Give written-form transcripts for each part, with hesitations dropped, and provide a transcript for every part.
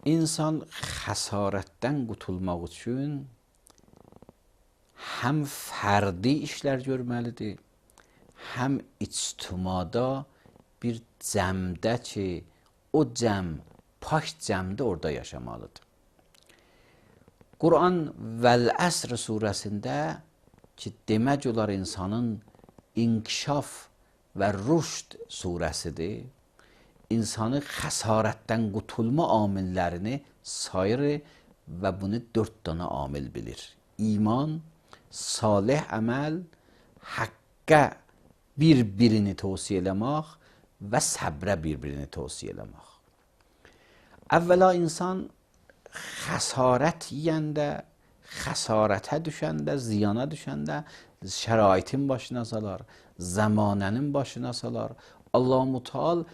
İnsan xəsarətdən qutulmaq üçün həm fərdi işlər görməlidir, həm ictimada bir cəmdə ki, o cəm, pak cəmdə orada yaşamalıdır. Quran Vəl-Əsr surəsində ki, demək olar insanın inkişaf və rüşd surəsidir, insanı xəsarətdən qutulma amillərini sayır və bunu 4 dənə amil bilir. İman, salih əməl, haqqə bir-birini tövsiyə eləmək və səbrə bir-birini tövsiyə eləmək. Əvvəla insan xəsarət yeyəndə, xəsarətə düşəndə, ziyana düşəndə şəraitin başına salar, zamanənin başına salar. Allah-u Teala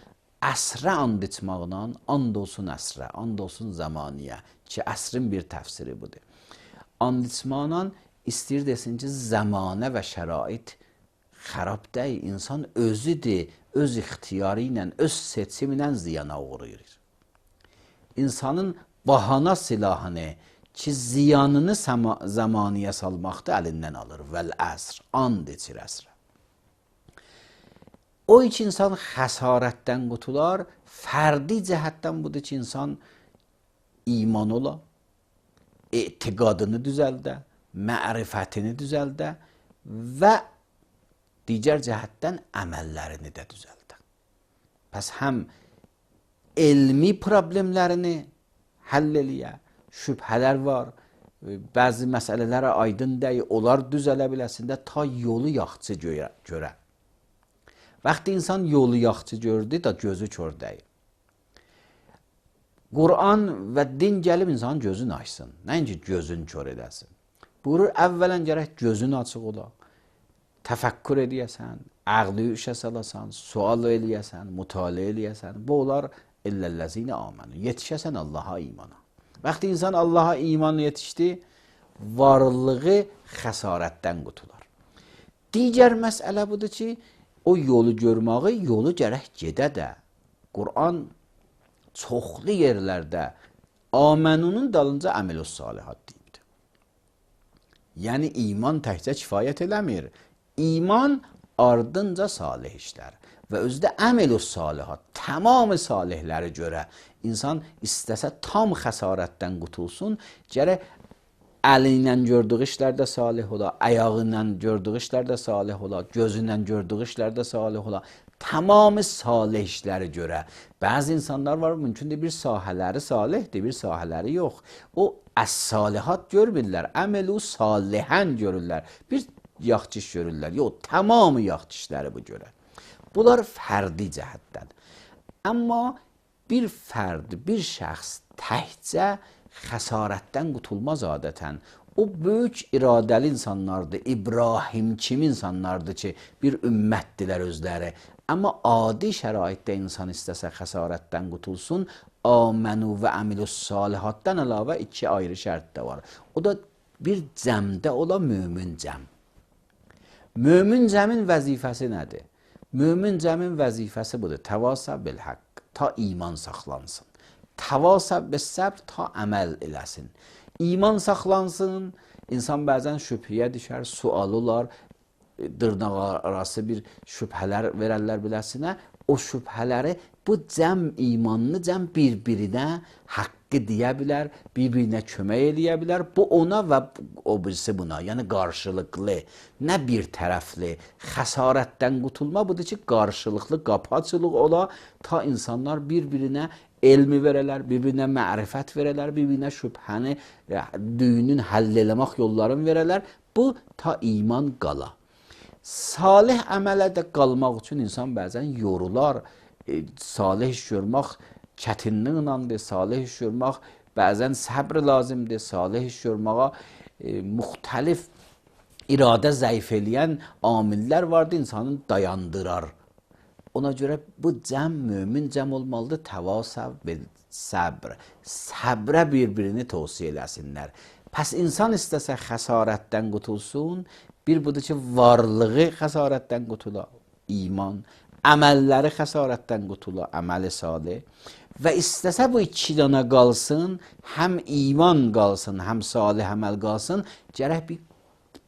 əsrə and içmaqla, and olsun əsrə, and olsun zamaniyə ki, əsrin bir təfsiri budur. And içmaqla istəyir desin ki, zamanə və şərait xarab deyil, insan özüdür, öz ixtiyarı ilə, öz seçimi ilə ziyana uğrayır. İnsanın bahana silahını ki, ziyanını zamaniyə salmaqda əlindən alır. Vəl-əsr, and içir əsrə. O iki insan xəsarətdən qutular, fərdi cəhətdən budur ki, insan iman ola, etiqadını düzəldə, mərifətini düzəldə və digər cəhətdən əməllərini də düzəldə. Pəs həm elmi problemlərini həll eləyə, şübhələr var, bəzi məsələlərə aydın deyil, onlar düzələ biləsində ta yolu yaxçı görə. Vaxtı insan yolu yaxçı gördü da gözü kör deyil. Quran və din gəlib insanın gözünü açsın, nəinki gözünü kör edəsin. Buyurur, əvvələn gərək gözün açıq ola, təfəkkür edəyəsən, əqli işə salasan, sual eləyəsən, mütaliə eləyəsən. Bu olar illəl-ləzinə amənu, yetişəsən Allaha imana. Vaxtı insan Allaha imanı yetişdi, varlığı xəsarətdən qutular. Digər məsələ budur ki, o yolu görməyi, yolu gərək gedə də. Quran çoxlu yerlərdə amənunun dalınca əməl-ü salihat deyibdir. Yəni, iman təkcə kifayət eləmir. İman ardınca salih işlər və özdə əməl-ü salihat, tamamı salihləri görə insan istəsə tam xəsarətdən qutulsun, gərək əli ilə gördüyü işlərdə salih ola, ayağı ilə gördüyü işlərdə salih ola, gözü ilə gördüyü işlərdə salih ola, tamamı salih işləri görə. Bəzi insanlar var, mümkündür bir sahələri salihdir, bir sahələri yox. O əs-salihat görmürlər, əməl-ü salihən görürlər, bir yaxçı iş görürlər. Yox, tamamı yaxçı işləri bu görə. Bunlar fərdi cəhətdən. Amma bir fərd, bir şəxs təkcə xəsarətdən qutulmaz adətən. O böyük iradəli insanlardır, İbrahim kimi insanlardır ki, bir ümmətdilər özləri. Amma adi şəraitdə insan istəsə xəsarətdən qutulsun, amənu və əmilü salihatdan əlavə 2 ayrı şərt də var. O da bir cəmdə ola mömin cəm. Mömin cəmin vəzifəsi nədir? Mömin cəmin vəzifəsi budur, təvasa bil-haqq, ta iman saxlansın. Təvasa bil-səbr, ta əməl eləsin. İman saxlansın, insan bəzən şübhəyə düşər, sual olar, dırnaq arası bir şübhələr verərlər biləsinə. O şübhələri, bu cəm imanlı cəm bir-birinə haqqı deyə bilər, bir-birinə kömək eləyə bilər. Bu ona və o birisi buna, yəni qarşılıqlı, nə bir tərəfli. Xəsarətdən qutulma budur ki, qarşılıqlı qapı-açılıq ola, ta insanlar bir-birinə elmi verələr, bir-birinə mərifət verələr, bir-birinə şübhəni, düyünün həll eləmək yollarını verələr. Bu, ta iman qala. Salih əmələ də qalmaq üçün insan bəzən yorular, salih iş görmək çətinliğinədir, salih iş görmək bəzən səbr lazımdır, salih iş görməyə müxtəlif iradə zəif eləyən amillər vardır, insanın dayandırar. Ona görə bu cəm, mömin cəm olmalıdır, təvasəv bil səbr, səbrə bir-birini tövsiyə eləsinlər. Pəs insan istəsə xəsarətdən qutulsun, bir budur ki, varlığı xəsarətdən qutula, iman, əməlləri xəsarətdən qutula, əməli salih və istəsə bu iki dana qalsın, həm iman qalsın, həm salih əməl qalsın, gərək bir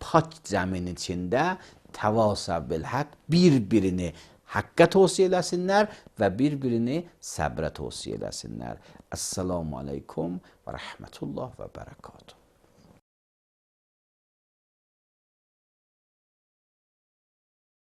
pak zəmin içində təvasa bil haqq bir-birini haqqa tövsiyə eləsinlər və bir-birini səbrə tövsiyə eləsinlər. Əssalamu aleykum və rəhmətullah və bərəkatuhu.